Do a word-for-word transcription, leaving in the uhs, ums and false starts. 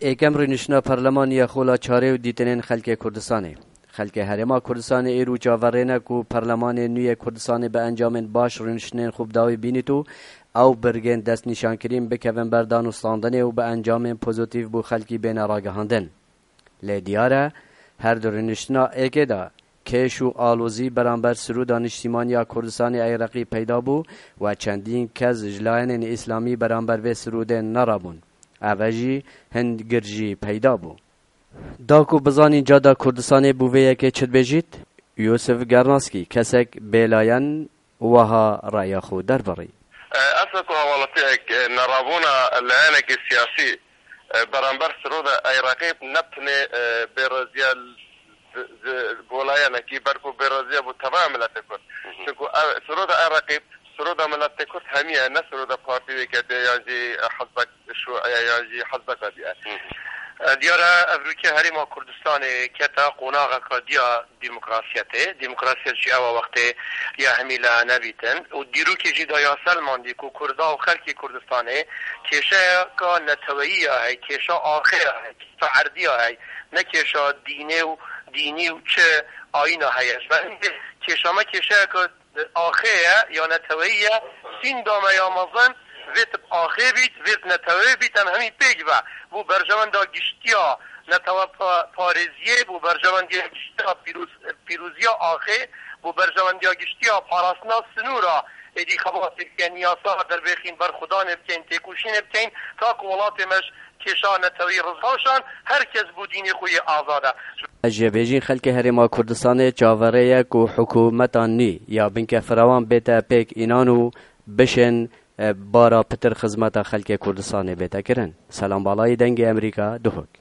Êkem rûniştina Parlemanî ya Xola Çarê û dîtinên xelkê Kurdistanê. Xelkê Herêma Kurdistanê êro çaverê ne ku Parlemanê nû yê Kurdistanê bi encamên baş rûniştinên xwe bi dawî bînît û ew birgên destnîşankirin bikevin ber danûstandinê û bi encamên pozîtîf bo xelkî bêne ragihandin. Lê diyar e, her di rûniştina êkê de kêş û alozî beramber sirûda niştîmaniya Kurdistanê Eyreqî peyda bû we çendîn kes ji layenên îslamî beramber vê sirûdê nerabûn. Ev e jî hin gir jî peyda bû. Da ku bizanîn cada Kurdistanê bo vê yekê çi dibêjît, Yûsif Gernaskî, kesek bêlayen, wiha raya xwe derbirî. Eslê ku hewalatiyek, e, nerabûna layenekî siyasî, e, beramber sirûda Eyreqî ne tenê, e, bêreziya li, li, li bo layenekî, belku bêreziya bo tevaya miletê Kurd. Çunku ev, sirûda Eyreqî, sirûda miletê Kurd hemî ye, ne sirûda partî wê ketê yan jî hizbek şûî ye yan jî hizbeka dî ye. E, diyar e, ev rûkê Herêma Kurdistanê kete qonaxeka diya demokrasiyetê. Demokrasiyet jî ew e wextê ya hemî laye nebîtin û dîrokê jî da ya selmandî ku Kurda û xelkê Kurdistanê kêşeyeka neteweyî ya hey, kêşa axê ya hey, kêşa erdî ya hey, ne kêşa dînê û dînî û çi ayîna heye. Ji ber hindê kêşa me kêşeyeka axê ye ya neteweyî ye, sînda me ya mezin vê tip axê bît, vê tip neteweyê bît, em hemî pêk ve bo berjewenda giştiya netewe pa-, parêziyê, bo berjewendiya giştiya pîroz-, pîroziya axê, bo berjewendiya giştiya parastina sinûra êdî xebatê bikeyn, yasa derbêxîn, berxwedanê bikeyn, têkoşînê bikeyn, ta ku welatê me ji kêşa neteweyî rizgaşan, her kes bo dînê xwe yê azad e. Ji bêjîn xelkê Herêma Kurdistanê çaverê ye ku hikûmeta nû ya binke firewan bête pêk înan û bişên, e, bara pitir xizmeta xelkê Kurdistanê bête kirin. Selam Balayî, Dengê Emerîka, Duhok.